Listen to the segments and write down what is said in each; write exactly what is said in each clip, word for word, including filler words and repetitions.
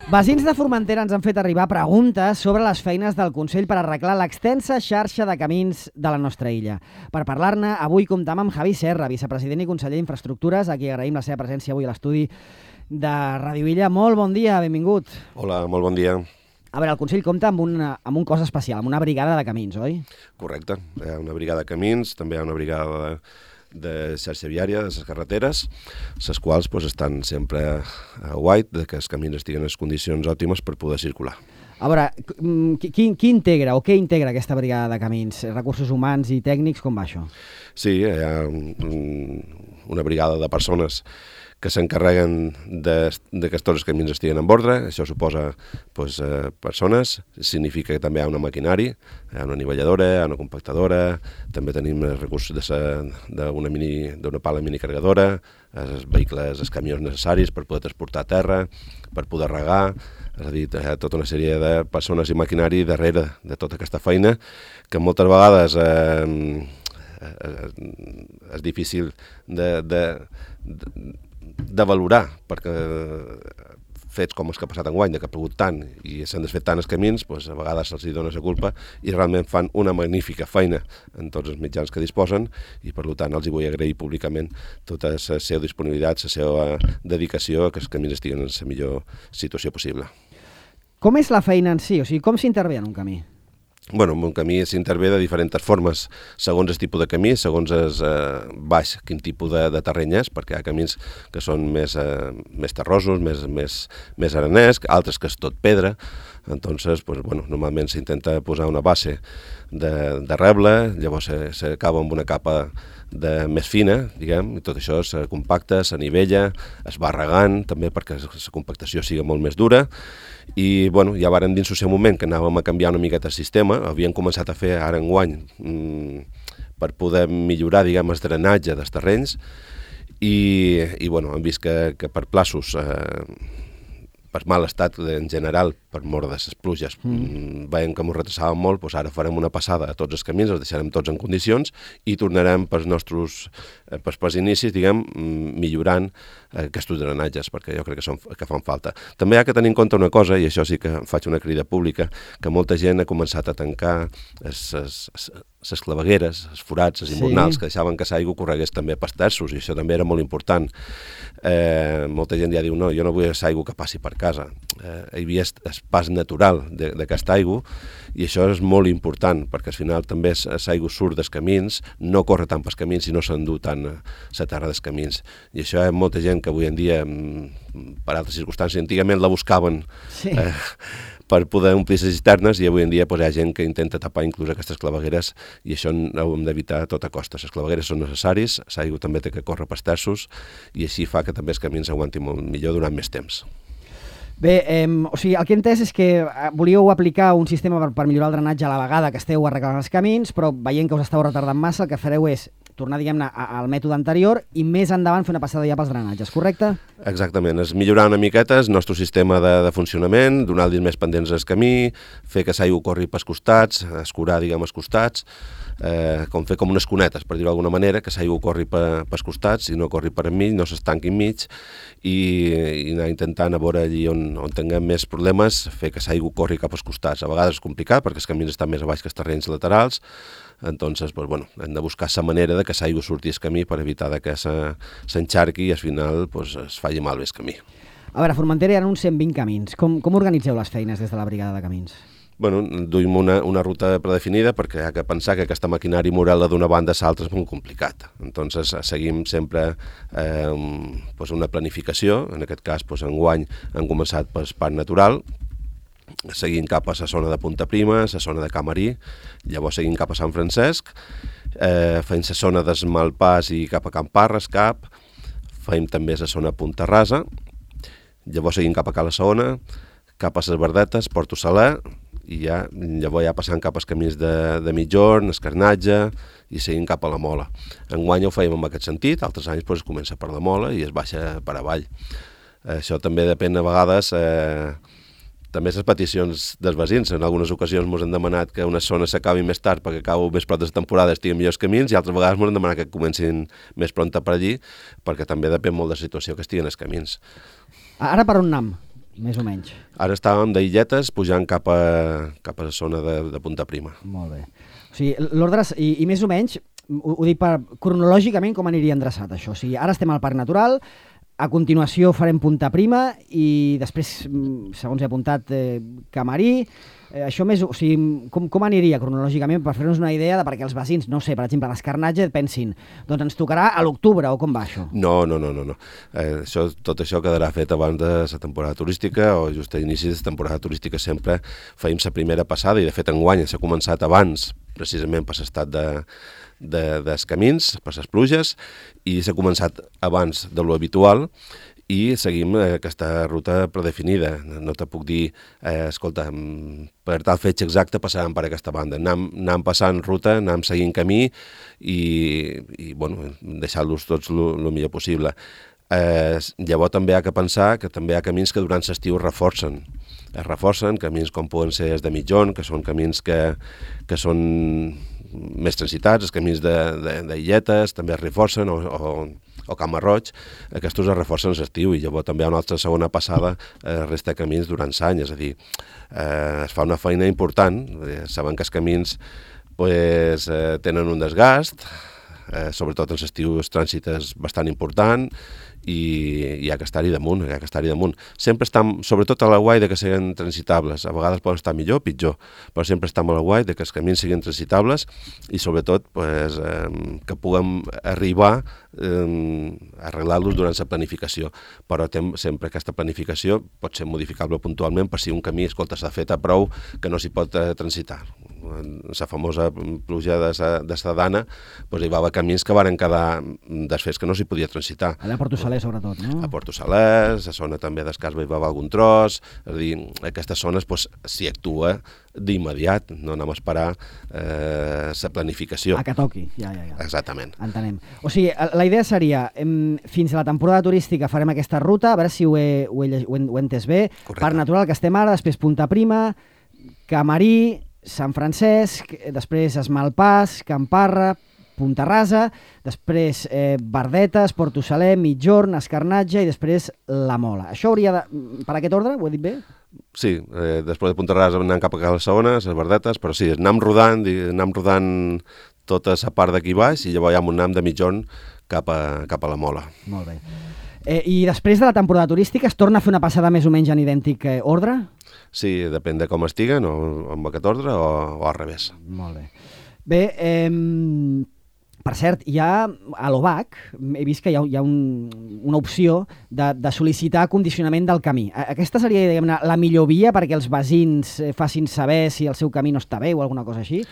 Veïns de Formentera ens han fet arribar preguntes sobre les feines del Consell per arreglar l'extensa xarxa de camins de la nostra illa. Per parlar-ne, avui comptam amb Javi Serra, vicepresident i conseller d'Infraestructures, a qui agraïm la seva presència avui a l'estudi de Ràdio Illa. Molt bon dia, benvingut. Hola, molt bon dia. A veure, el Consell compta amb, una, amb un cos especial, amb una brigada de camins, oi? Correcte. Hi ha una brigada de camins, també hi ha una brigada de, de xarxa viària, de les carreteres, les quals doncs, estan sempre a guait de que els camins estiguen en condicions òptimes per poder circular. A veure, qui, qui integra o què integra aquesta brigada de camins? Recursos humans i tècnics, com va això? Sí, hi ha un, una brigada de persones que s'encarreguen de, de que tots els camins estiguen en ordre. Això suposa pues, eh, persones, significa que també hi ha una maquinari, hi ha una anivelladora, hi ha una compactadora, també tenim els recursos d'una mini, d'una pala minicarregadora, els vehicles, els camions necessaris per poder transportar terra, per poder regar, és a dir, hi ha tota una sèrie de persones i maquinari darrere de tota aquesta feina que moltes vegades eh, és difícil de, de, de de valorar, perquè fets com els que ha passat enguany, que ha plogut tant i s'han desfet tant els camins, doncs a vegades se'ls dona la culpa i realment fan una magnífica feina en tots els mitjans que disposen i per tant els hi vull agrair públicament tota la seva disponibilitat, la seva dedicació a que els camins estiguen en la millor situació possible. Com és la feina en si? O sigui, com s'intervé en un camí? Bueno, en un camí s'intervé de diferents formes, segons el tipus de camí, segons el eh, baix, quin tipus de, de terreny és, perquè hi ha camins que són més, eh, més terrosos, més, més, més arenès, altres que és tot pedra. Entonces, pues, bueno, normalment s'intenta posar una base de, de reble, llavors s'acaba amb una capa de més fina, diguem, i tot això se compacta, s'anivella, es va regant, també perquè la compactació sigui molt més dura, i bueno, ja vàrem dins el seu moment que anàvem a canviar una miqueta el sistema, havíem començat a fer ara enguany mmm, per poder millorar, diguem, el drenatge dels terrenys, i, i bueno, hem vist que, que per plaços, eh, per mal estat en general, per mort de les pluges, mm. veiem que ens retrasàvem molt, doncs ara farem una passada a tots els camins, els deixarem tots en condicions i tornarem pels nostres, pels, pels inicis, diguem, millorant aquests drenatges, perquè jo crec que, són, que fan falta. També hi ha que tenir en compte una cosa, i això sí que faig una crida pública, que molta gent ha començat a tancar les clavegueres, els forats, els imbornals, sí, que deixaven que l'aigua corregués també pels terços, i això també era molt important. Eh, molta gent ja diu, no, jo no vull l'aigua que passi per casa. Eh, hi havia el pas natural d'aquesta aigua, i això és molt important, perquè al final també l'aigua surt dels camins, no corre tant pels camins i no s'endú tant la terra dels camins. I això hi ha molta gent que avui en dia, per altres circumstàncies, antigament la buscaven sí. eh, per poder omplir les cisternes, i avui en dia pues, hi ha gent que intenta tapar inclús aquestes clavegueres, i això ho hem d'evitar a tota costa. Les clavegueres són necessaris, l'aigua també té que córrer pels terços, i així fa que també els camins aguantin molt millor durant més temps. Bé, eh, o sigui, el que he entès és que volíeu aplicar un sistema per, per millorar el drenatge a la vegada que esteu arreglant els camins, però veient que us esteu retardant massa, el que fareu és tornar, diguem-ne, al mètode anterior i més endavant fer una passada ja pels drenatges, correcte? Exactament, és millorar una miqueta el nostre sistema de, de funcionament, donar-li més pendents al camí, fer que l'aigua corri pels costats, escurar, diguem, els costats, eh, com fer com unes cunetes, per dir-ho d'alguna manera, que l'aigua corri pe, pels costats i no corri per enmig, no s'estanqui enmig, i, i anar intentant a veure allí on, on tinguem més problemes, fer que l'aigua corri cap als costats. A vegades és complicat perquè els camins estan més a baix que els terrenys laterals, entonces, pues, bueno, hem de buscar la manera de que l'aigua surti al camí per evitar que s'encharqui i al final pues, es faci malbé el camí. A veure, a Formentera hi ha uns cent vint camins. Com, com organitzeu les feines des de la brigada de camins? Bueno, duim una, una ruta predefinida perquè hi ha que pensar que aquesta maquinària moral d'una banda a l'altra és molt complicat. Entonces, seguim sempre eh, pues una planificació. En aquest cas, pues, enguany hem començat pel parc natural, seguint cap a la zona de Punta Prima, la zona de Camarí, llavors seguint cap a Sant Francesc, eh, fent la zona d'Esmalpàs i cap a Camparres, cap, fem també la zona Punta Rasa, llavors seguint cap a Cala Saona, cap a les Verdetes, Porto Saler, i ja, llavors ja passant cap als camins de, de Mitjorn, Escarnatge, i seguint cap a la Mola. Enguany ho fèiem en aquest sentit, altres anys pues, es comença per la Mola i es baixa per avall. Eh, això també depèn a vegades... Eh, També les peticions dels veïns. En algunes ocasions ens han demanat que unes zones s'acabin més tard perquè acabo més prop de la temporada estiguin millors camins, i altres vegades ens han demanat que comencin més prompte per allí, perquè també depèn molt de la situació que estiguen els camins. Ara per on anem? més o menys. Ara estàvem d'Illetes pujant cap a, cap a la zona de, de Punta Prima. Molt bé. O sigui, l'ordre, i, i més o menys, ho, ho dic per, cronològicament com aniria endreçat això. O sigui, ara estem al Parc Natural, a continuació farem Punta Prima i després, segons he apuntat, eh, Camarí. Eh, això més, o sigui, com, com aniria cronològicament per fer-nos una idea de perquè els veïns, no sé, per exemple, l'Escarnatge pensin, doncs ens tocarà a l'octubre o com va això? No, no, no, no. no. Eh, això, tot això quedarà fet abans de la temporada turística o just a inici de la temporada turística sempre feim la primera passada i de fet enguany s'ha començat abans precisament per l'estat de De, dels camins, per les pluges, i s'ha començat abans de lo habitual i seguim aquesta ruta predefinida. No te puc dir, eh, escolta, per tal fetge exacte passàvem per aquesta banda. Anàvem, anàvem passant ruta, anàvem seguint camí i, i bueno, deixant-los tots el millor possible. Eh, llavors també hi ha que pensar que també hi ha camins que durant l'estiu es reforcen. Es reforcen, camins com poden ser els de mitjon, que són camins que, que són més transitats, els camins d'Illetes també es reforcen, o, o, o Camp Marroig, aquests es reforcen a l'estiu i llavors també hi ha una altra segona passada eh, resta de camins durant l'any, és a dir, eh, es fa una feina important, eh, saben que els camins pues, eh, tenen un desgast, eh, sobretot en l'estiu el trànsit és bastant important i hi ha que estar-hi damunt, hi ha que estar-hi damunt. Sempre estem, sobretot a la guai de que siguin transitables, a vegades poden estar millor o pitjor, però sempre estem a la guai de que els camins siguin transitables i sobretot pues, eh, que puguem arribar eh, a arreglar-los durant la planificació, però tem, sempre aquesta planificació pot ser modificable puntualment per si un camí, escolta, s'ha fet a prou que no s'hi pot eh, transitar. La famosa pluja de Sadana, doncs hi va haver camins que varen quedar desfets que no s'hi podia transitar. Allà a Porto Saler, sobretot, no? A Porto Saler, a la zona també d'Escasva hi va haver algun tros, és a dir, aquestes zones doncs, s'hi actua d'immediat, no anem a esperar eh, la planificació. A que toqui, ja, ja, ja. Exactament. Entenem. O sigui, la idea seria, em, fins a la temporada turística farem aquesta ruta, a veure si ho he, ho he, ho he, ho he entès bé. Correcte. Parc Natural, que estem ara, després Punta Prima, Camarí, Sant Francesc, després Esmalpàs, Camparra, Punta Rasa, després eh, Verdetes, Porto Saler, Mitjorn, Escarnatge i després La Mola. Això hauria de... Per aquest ordre, ho he dit bé? Sí, eh, després de Punta Rasa anem cap a les segones, les Verdetes, però sí, anem rodant, anem rodant tota la part d'aquí baix i llavors ja anem de Mitjorn cap a, cap a La Mola. Molt bé. Eh, I després de la temporada turística es torna a fer una passada més o menys en idèntic eh, ordre? Sí, depèn de com estiguen, o amb aquest ordre o, o al revés. Molt bé. Bé, eh, per cert, hi ha a l'O B A C, he vist que hi ha, hi ha un, una opció de, de sol·licitar condicionament del camí. Aquesta seria, diguem-ne, la millor via perquè els veïns facin saber si el seu camí no està bé o alguna cosa així?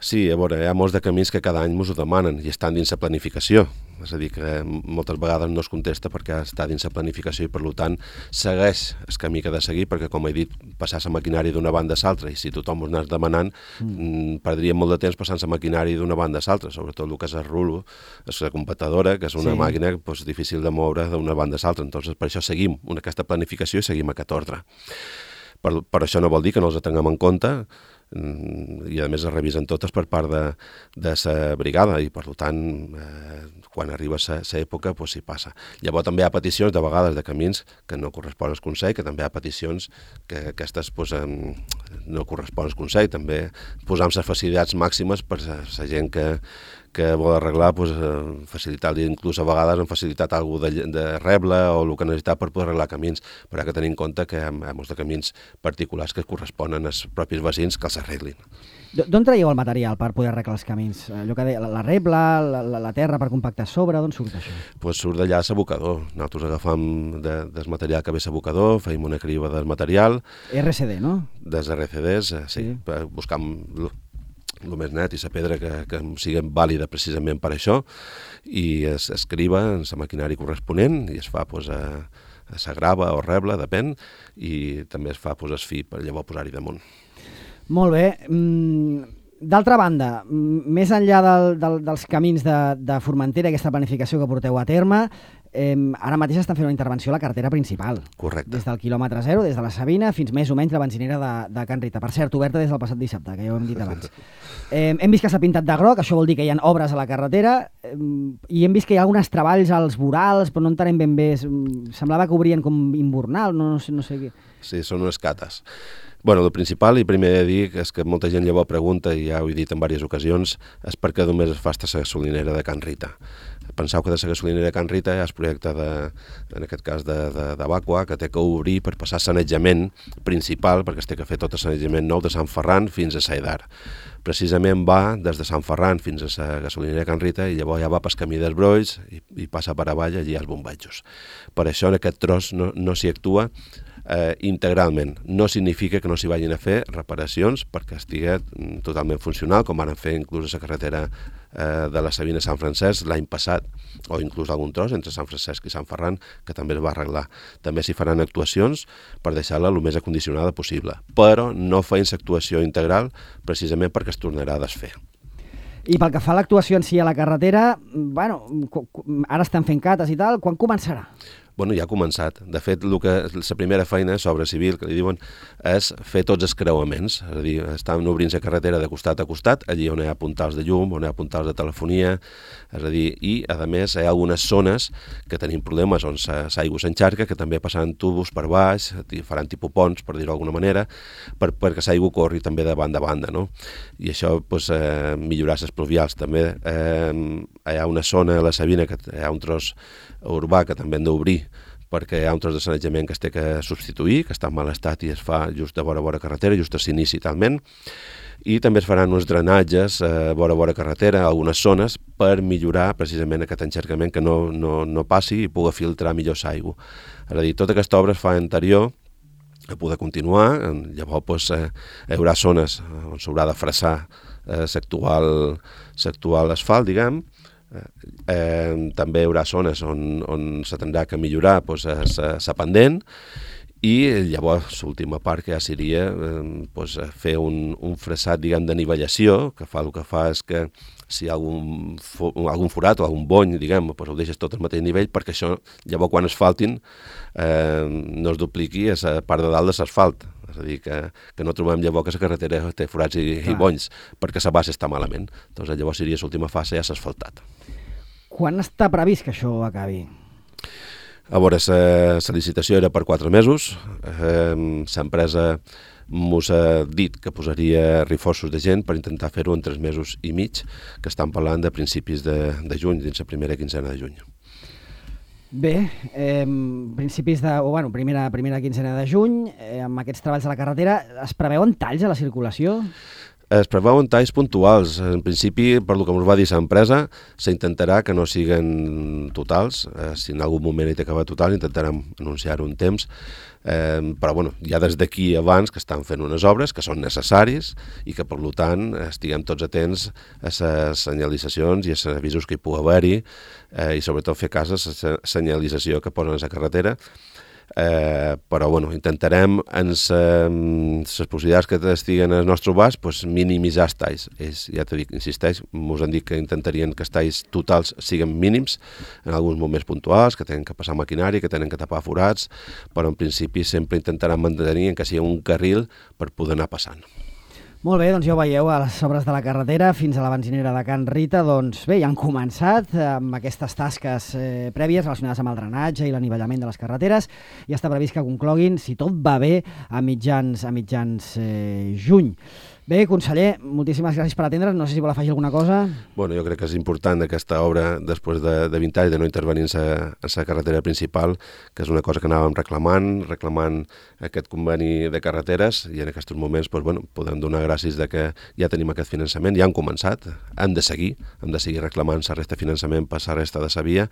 Sí, a veure, hi ha molts de camins que cada any ens ho demanen i estan dins la planificació. És a dir, que moltes vegades no es contesta perquè està dins la planificació i, per tant, segueix el camí que ha de seguir perquè, com he dit, passar la maquinària d'una banda a l'altra i si tothom ho anés demanant, mm. perdria molt de temps passant la maquinària d'una banda a l'altra, sobretot el que és el rulo, és la computadora, que és una sí. màquina pues, difícil de moure d'una banda a l'altra. Entonces, per això seguim una, aquesta planificació i seguim aquest ordre. Per, per això no vol dir que no els tinguem en compte i a més es revisen totes per part de, de la brigada i per tant eh, quan arriba la època pues, s'hi passa. Llavors també hi ha peticions de vegades de camins que no corresponen al Consell, que també hi ha peticions que aquestes pues, eh, no corresponen al Consell, també posam les facilitats màximes per la gent que que vol arreglar, pues, eh, facilitar-li, inclús a vegades han facilitat alguna de, de reble o el que necessitat per poder arreglar camins, però hi ha que tenir en compte que hi ha, hi ha molts de camins particulars que corresponen als propis veïns que els arreglin. D'on traieu el material per poder arreglar els camins? Allò que deia, la rebla, la, la, la terra per compactar sobre, d'on surt això? Pues surt d'allà l'abocador. Nosaltres agafam de, del material que ve l'abocador, feim una criba del material. R C D, no? Des R C Ds, eh, sí, sí. Buscam el més net i la pedra que, que sigui vàlida precisament per això i es, es criba en la maquinària corresponent i es fa pues, a, a la grava o reble, depèn, i també es fa pues, es fi per llavors posar-hi damunt. Molt bé. D'altra banda, més enllà del, del, dels camins de, de Formentera, aquesta planificació que porteu a terme, eh, ara mateix estan fent una intervenció a la carretera principal. Correcte. Des del quilòmetre zero, des de la Sabina, fins més o menys la benzinera de, de Can Rita. Per cert, oberta des del passat dissabte, que ja ho hem dit abans. Eh, hem vist que s'ha pintat de groc, això vol dir que hi ha obres a la carretera, eh, i hem vist que hi ha alguns treballs als vorals, però no entenem ben bé. Semblava que obrien com invernal, no, no sé, no sé què. Sí, són unes cates. Bueno, el principal, i primer he de dir, és que molta gent llavors pregunta, i ja ho he dit en diverses ocasions, és perquè només es fa esta gasolinera de Can Rita. Penseu que de la gasolinera de Can Rita hi ha el projecte, de, en aquest cas, de, de, de Vacua, que té que obrir per passar sanejament principal, perquè es té que fer tot el sanejament nou de Sant Ferran fins a Saedar. Precisament va des de Sant Ferran fins a la gasolinera de Can Rita i llavors ja va pel camí dels Brois i, i passa per avall allí als bombatjos. Per això en aquest tros no, no s'hi actua Eh, integralment. No significa que no s'hi vagin a fer reparacions perquè estigui totalment funcional, com van fer inclús a la carretera eh, de la Sabina a Sant Francesc l'any passat, o inclús algun tros entre Sant Francesc i Sant Ferran, que també es va arreglar. També s'hi faran actuacions per deixar-la el més acondicionada possible, però no feien l'actuació integral precisament perquè es tornarà a desfer. I pel que fa a l'actuació en si a la carretera, bueno, ara estan fent cates i tal, quan començarà? Bueno, ja ha començat. De fet, el que, la primera feina sobre civil, que li diuen, és fer tots els creuaments. És a dir, estan obrint la carretera de costat a costat, allí on hi ha puntals de llum, on hi ha puntals de telefonia, és a dir, i, a més, hi ha algunes zones que tenim problemes on l'aigua s'encharca, que també passaran tubos per baix, faran tipus ponts, per dir-ho d'alguna manera, per, perquè l'aigua corri també de banda a banda, no? I això, doncs, eh, millorar les pluvials. També eh, hi ha una zona a la Sabina, que hi ha un tros urbà que també hem d'obrir, perquè hi ha un tros de sanejament que es té que substituir, que està en mal estat i es fa just a vora vora carretera, just a s'inici talment, i també es faran uns drenatges a vora vora carretera a algunes zones per millorar precisament aquest enxercament, que no, no, no passi i pugui filtrar millor l'aigua. És a dir, tota aquesta obra es fa anterior a poder continuar, llavors doncs, eh, hi haurà zones on s'haurà de fressar eh, l'actual asfalt, diguem. Eh, també hi haurà zones on, on se tindrà que millorar doncs, la pendent, i llavors l'última part que ja seria eh, doncs, fer un, un fressat, diguem, de nivellació, que fa el que fa és que si hi ha algun, algun forat o algun bony, diguem, doncs ho deixes tot al mateix nivell, perquè això, llavors quan es faltin, eh, no es dupliqui a la part de dalt de l'asfalt. És a dir, que, que no trobem llavors que la carretera té forats i, i bonys, perquè la base està malament. Doncs llavors seria l'última fase, ja s'ha asfaltat. Quan està previst que això acabi? A veure, la licitació era per quatre mesos. Eh, l'empresa mos ha dit que posaria reforços de gent per intentar fer-ho en tres mesos i mig, que estan parlant de principis de, de juny, dins la primera quinzena de juny. Bé, eh, principis de, o bueno, primera, primera quinzena de juny, eh, amb aquests treballs a la carretera, es preveuen talls a la circulació? Es preveuen talls puntuals. En principi, per el que ens va dir l'empresa, s'intentarà que no siguin totals. Eh, si en algun moment hi té que haver total, intentarem anunciar-ho un temps. Eh, però bueno, ja des d'aquí abans que estan fent unes obres que són necessaris i que per tant estiguem tots atents a les senyalitzacions i a els avisos que hi pugui haver-hi, eh, i sobretot fer cas a la senyalització que posen a la carretera. Eh, però bueno, intentarem en les eh, possibilitats que estiguen al nostre abast pues, minimitzar els talls. Ells, ja t'he dit, insisteix, ens han dit que intentarien que els talls totals siguin mínims en alguns moments puntuals, que tenen que passar maquinari, que tenen que tapar forats, però en principi sempre intentaran mantenir que sigui un carril per poder anar passant. Molt bé, doncs ja ho veieu, a les obres de la carretera fins a la benzinera de Can Rita, doncs bé, ja han començat amb aquestes tasques eh, prèvies relacionades amb el drenatge i l'anivellament de les carreteres, i està previst que concloguin, si tot va bé, a mitjans, a mitjans eh, juny. Bé, conseller, moltíssimes gràcies per atendre's. No sé si vol afegir alguna cosa. Bueno, jo crec que és important aquesta obra, després de, de vint anys de no intervenir en la carretera principal, que és una cosa que anàvem reclamant, reclamant aquest conveni de carreteres, i en aquests moments doncs, bueno, podem donar gràcies de que ja tenim aquest finançament, ja han començat, hem de seguir, hem de seguir reclamant la resta de finançament per la resta de la via,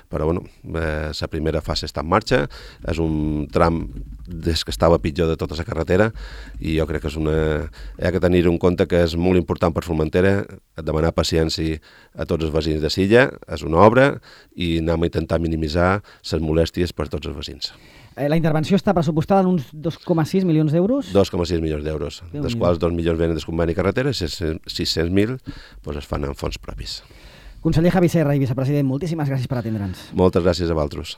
però bueno, eh, la primera fase està en marxa, és un tram des que estava pitjor de tota la carretera, i jo crec que és una... Hi ha que tenir en compte que és molt important per Formentera demanar paciència a tots els veïns de Silla, és una obra, i anem a intentar minimitzar les molèsties per tots els veïns. La intervenció està pressupostada en uns dos coma sis milions d'euros? dos coma sis milions d'euros, dels quals dos milions venen del conveni carretera i sis-cents mil doncs es fan en fons propis. Conseller Javi Serra i vicepresident, moltíssimes gràcies per atendre'ns. Moltes gràcies a vosaltres.